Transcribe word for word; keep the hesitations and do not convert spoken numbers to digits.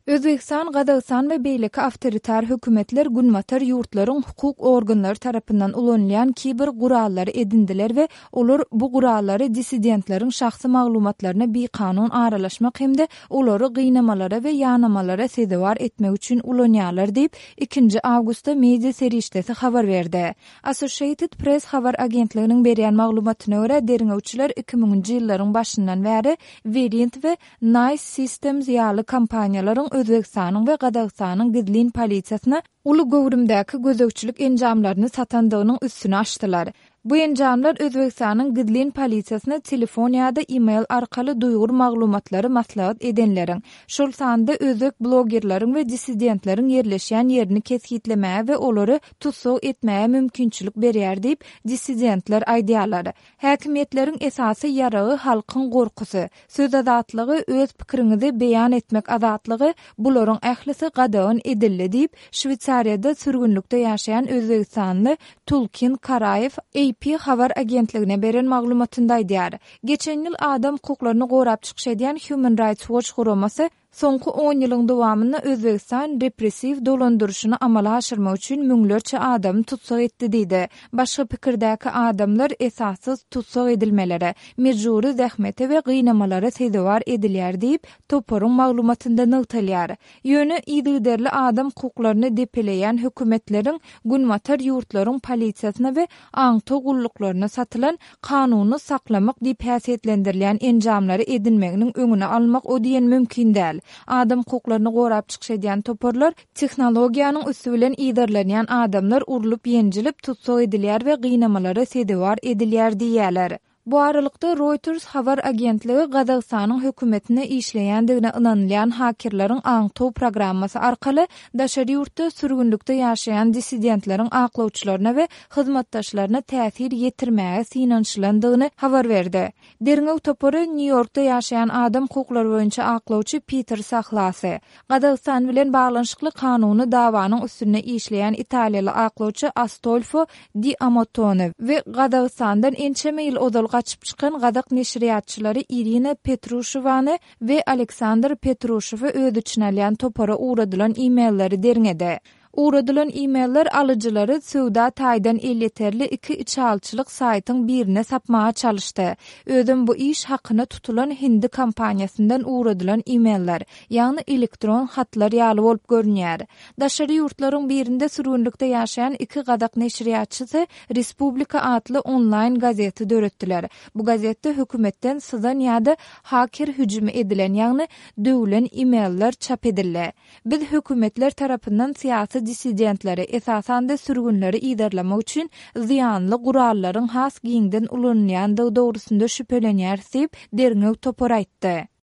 Özbegistan, Gazagystan we beýleki awtoritar hökümetler günbatar ýurtlaryň hukuk organlary tarapyndan ulanylýan kiber gurallary edindiler we olar bu gurallary dissidentleriň şahsy maglumatlaryna bikanun aralaşmak hem-de olary gynamalara we ýanamalara sezewar etmek üçin ulanýarlar diýip, ikinji awgustda media serişdesi habar berdi. Associated Press habar agentliginiň berýän maglumatyna görä, derňewçiler iki müňünji ýyllaryň başyndan bäri Verint we Nice Systems ýaly kompaniýalaryň Özbegistanyň we Gazagystanyň gizlin polisiýasyna uly göwrümdäki gözegçilik enjamlaryny satandygynyň üstüni açdylar. Bu enjamlar Özbegistanyň gizlin polisiýasyna telefon ýa-da e-mail arkaly duýgur maglumatlary maslahat edenleriň, şol sanda özbek blogerleriň we dissidentleriň ýerleşýän ýerini kesgitlemäge we olary tussag etmäge mümkinçilik berýär diýip, dissidentler aýdýarlar. Häkimiýetleriň esasy ýaragy halkyň gorkusy, söz azatlygy, öz pikiriňizi beýan etmek azatlygy, bularyň ählisi gadagan edildi diýip, Şweýsariýada sürgünlikde ýaşaýan özbegistanly Tulkin Karaýew A P habar agentligine beren maglumatynda aýdýar. Geçen ýyl adam hukuklaryny gorap çykyş edýän Human Rights Watch guramasy soňky on ýylyň dowamynda Özbegistan repressiw dolandyryşyny amala aşyrmak üçin müňlerçe adamy tussag etdi diýdi. Başga pikirdäki adamlar esassyz tussag edilmelere, mejbury zähmete we gynamalara sezewar edilýär diýip, toparyň maglumatynda nygtalýar. Ýöne yzygiderli adam hukuklaryny depeleýän hökümetleriň günbatar ýurtlaryň polisiýasyna we aňtaw gulluklaryna satylan kanuny saklamak diýip häsiýetlendirilýän enjamlary edinmeginiň öňüni almak o diýen mümkin däl. Adam hukuklaryny gorap çykyş edýän toparlar tehnologiýanyň üsti bilen yzarlanýan adamlar urlup ýenjilip tussag edilýär we gynamalara sezewar edilýär diýýärler. Bu aralykda Reuters habar agentligi Gazagystanyň hökümetine işleýändigine ynanylýan hakerleriň aňtaw programmasy arkaly daşary ýurtda sürgünlikde ýaşaýan dissidentleriň aklawçylaryna we hyzmatdaşlaryna täsir ýetirmäge synanyşylandygyny habar berdi. Derňew topary Nýu-Ýorkda ýaşaýan adam hukuklary boýunça aklawçy Peter Sahlasy, Gazagystan bilen baglanyşykly kanuny dawanyň üstünde işleýän italiýaly aklawçy Astolfo Di Amotone we Gazagystandan ençeme ýyl ozal gaçyp çykan gazak neşirýatçylary Irina Petruşewany we Aleksandr Petruşewi öz içine alýan topara ugradylan e-mailleri derňedi. Ugradylan e-mailler alyjylary söwda taýdan elýeterli iki içalyçylyk saýtyň birine sapmaga çalyşdy. Özem bu iş hakyna tutulan hindi kompaniýasyndan ugradylan e-mailler, ýagny elektron hatlar ýaly bolup görünýär. Daşary ýurtlaryň birinde sürgünlikde ýaşaýan iki gazak neşirýatçysy Respublika atly onlaýn gazeti döretdiler. Bu gazetde hökümetden syzan ýa-da haker hüjümi edilen, ýagny döwlen e-mailler çap edildi. Biz hökümetler tarapyndan syýasy dissidentleri, esasan-da sürgünleri yzarlamak üçin zyýanly gurallaryň has giňden ulanylýandygy dogrusynda şübhelenýäris diýip, derňew topary aýtdy.